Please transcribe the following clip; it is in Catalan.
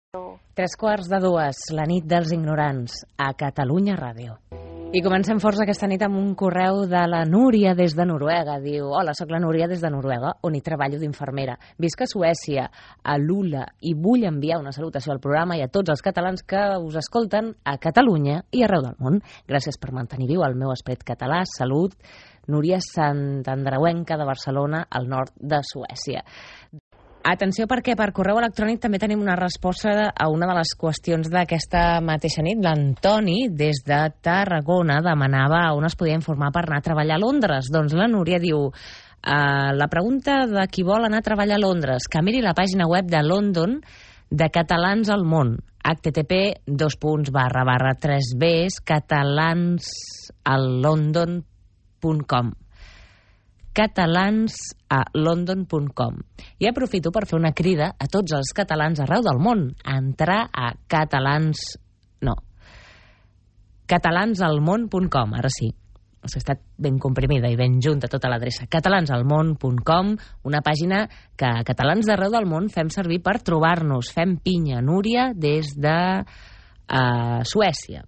3:15, la nit dels ignorants, a Catalunya Ràdio. I comencem forts aquesta nit amb un correu de la Núria des de Noruega. Diu: hola, sóc la Núria des de Noruega, on hi treballo d'infermera. Visc a Suècia, a Lula, i vull enviar una salutació al programa i a tots els catalans que us escolten a Catalunya i arreu del món. Gràcies per mantenir viu el meu esperit català. Salut, Núria Santandreuenca de Barcelona, al nord de Suècia. Atenció, perquè per correu electrònic també tenim una resposta a una de les qüestions d'aquesta mateixa nit. L'Antoni, des de Tarragona, demanava on es podia informar per anar a treballar a Londres. Doncs la Núria diu: la pregunta de qui vol anar a treballar a Londres, que miri la pàgina web de London de Catalans al Món, http://3bs catalansalondon.com catalansalondon.com. I aprofito per fer una crida a tots els catalans arreu del món a entrar a catalansalmón.com. Ara sí, ha estat ben comprimida i ben junta tota l'adreça. catalansalmón.com, una pàgina que catalans d'arreu del món fem servir per trobar-nos. Fem pinya. Núria des de Suècia.